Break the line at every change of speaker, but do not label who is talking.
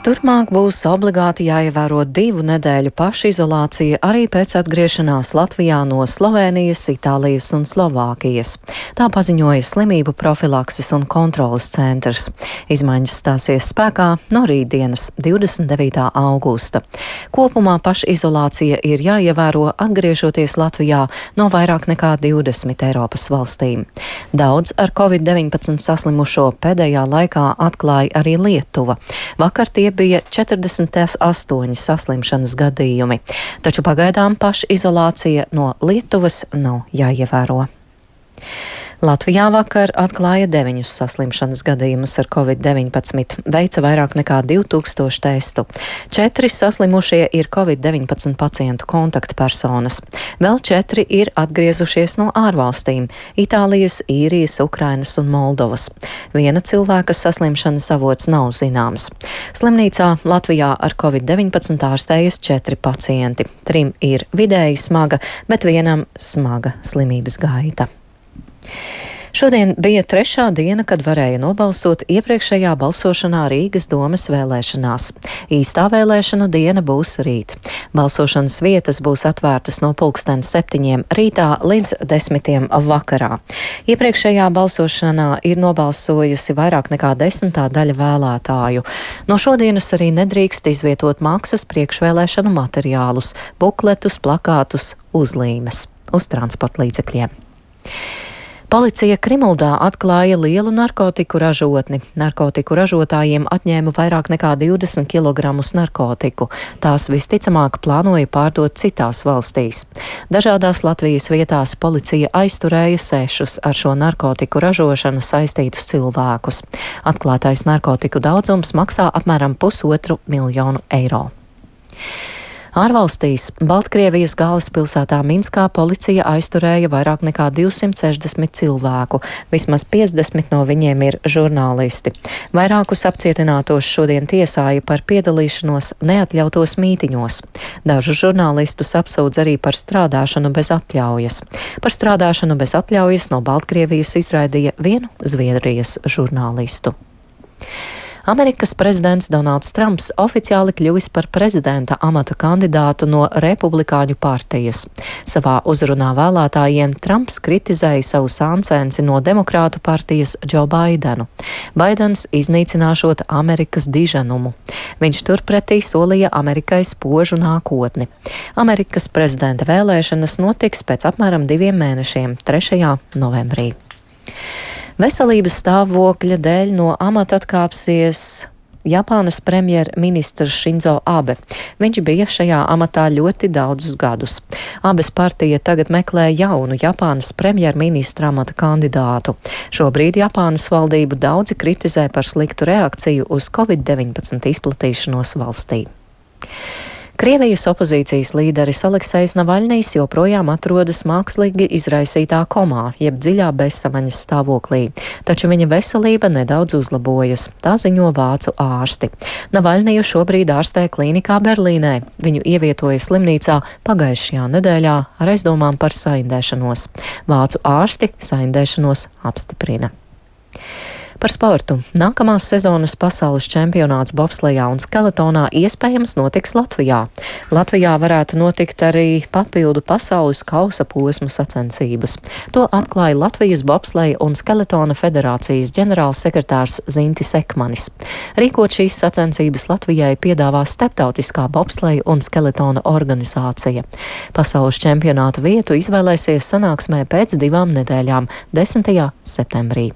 Turpmāk būs obligāti jāievēro 2 nedēļu pašizolācija arī pēc atgriešanās Latvijā no Slovēnijas, Itālijas un Slovākijas. Tā paziņoja Slimību profilakses un kontrolas centrs. Izmaiņas stāsies spēkā no rītdienas, 29. augusta. Kopumā pašizolācija ir jāievēro atgriežoties Latvijā no vairāk nekā 20 Eiropas valstīm. Daudz ar Covid-19 saslimušo pēdējā laikā atklāja arī Lietuva. Vakar tie bija 48 saslimšanas gadījumi, taču pagaidām pašizolācija no Lietuvas nav jāievēro. Latvijā vakar atklāja 9 saslimšanas gadījumus ar Covid-19, veica vairāk nekā 2000 testu. 4 saslimušie ir Covid-19 pacientu kontaktpersonas. Vēl 4 ir atgriezušies no ārvalstīm - Itālijas, Īrijas, Ukrainas un Moldovas. Viena cilvēka saslimšanas avots nav zināms. Slimnīcā Latvijā ar Covid-19 ārstējas 4 pacienti. 3 ir vidēji smaga, bet vienam smaga slimības gaita. Šodien bija 3. diena, kad varēja nobalsot iepriekšējā balsošanā Rīgas domes vēlēšanās. Īstā vēlēšanu diena būs rīt. Balsošanas vietas būs atvērtas no 7:00 rītā līdz 10:00 vakarā. Iepriekšējā balsošanā ir nobalsojusi vairāk nekā 10. daļa vēlētāju. No šodienas arī nedrīkst izvietot maksas priekšvēlēšanu materiālus, bukletus, plakātus, uzlīmes uz transporta līdzekļiem. Policija Krimuldā atklāja lielu narkotiku ražotni. Narkotiku ražotājiem atņēma vairāk nekā 20 kg narkotiku. Tās visticamāk plānoja pārdot citās valstīs. Dažādās Latvijas vietās policija aizturēja 6 ar šo narkotiku ražošanu saistītus cilvēkus. Atklātais narkotiku daudzums maksā apmēram 1,5 miljonu eiro. Ārvalstīs Baltkrievijas galvaspilsētā Minskā policija aizturēja vairāk nekā 260 cilvēku. Vismaz 50 no viņiem ir žurnālisti. Vairākus apcietinātos šodien tiesāja par piedalīšanos neatļautos mītiņos. Dažus žurnālistus apsūdz arī par strādāšanu bez atļaujas. Par strādāšanu bez atļaujas no Baltkrievijas izraidīja vienu Zviedrijas žurnālistu. Amerikas prezidents Donalds Trumps oficiāli kļuvis par prezidenta amata kandidātu no Republikāņu partijas. Savā uzrunā vēlētājiem Trumps kritizēja savu sāncensi no Demokrātu partijas Džo Baidenu. Baidens iznīcināšot Amerikas diženumu. Viņš turpretī solīja Amerikai spožu nākotni. Amerikas prezidenta vēlēšanas notiks pēc apmēram 2 mēnešiem, 3. novembrī. Veselības stāvokļa dēļ no amata atkāpsies Japānas premjerministrs Šinzo Abe. Viņš bija šajā amatā ļoti daudzus gadus. Abes partija tagad meklē jaunu Japānas premjerministra amata kandidātu. Šobrīd Japānas valdību daudzi kritizē par sliktu reakciju uz Covid-19 izplatīšanos valstī. Krievijas opozīcijas līderis Aleksejs Navaļnijs joprojām atrodas mākslīgi izraisītā komā, jeb dziļā bezsamaņas stāvoklī, taču viņa veselība nedaudz uzlabojas, tā ziņo vācu ārsti. Navaļniju šobrīd ārstē klīnikā Berlīnē. Viņu ievietoja slimnīcā pagājušajā nedēļā ar aizdomām par saindēšanos. Vācu ārsti saindēšanos apstiprina. Par sportu. Nākamās sezonas pasaules čempionāts bobslejā un skeletonā iespējams notiks Latvijā. Latvijā varētu notikt arī papildu pasaules kausa posmu sacensības. To atklāja Latvijas bobsleja un skeletona federācijas ģenerālsekretārs Zintis Ekmanis. Rīkot šīs sacensības Latvijai piedāvā Starptautiskā bobsleja un skeletona organizācija. Pasaules čempionāta vietu izvēlēsies sanāksmē pēc 2 nedēļām, 10. septembrī.